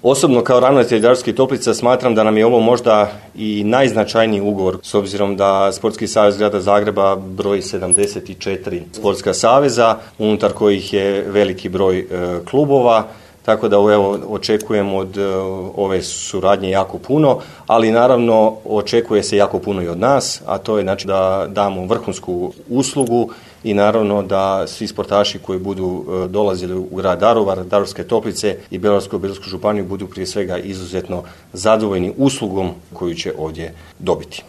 Osobno kao ravnatelj Daruvarskih toplica smatram da nam je ovo možda i najznačajniji ugovor, s obzirom da Sportski savez grada Zagreba broji 74 sportska saveza, unutar kojih je veliki broj klubova. Tako da očekujem od ove suradnje jako puno, ali naravno očekuje se jako puno i od nas, a to je znači da damo vrhunsku uslugu i naravno da svi sportaši koji budu dolazili u grad Daruvar, Daruvarske toplice i Bjelovarsko-bilogorsku županiju budu prije svega izuzetno zadovoljni uslugom koju će ovdje dobiti.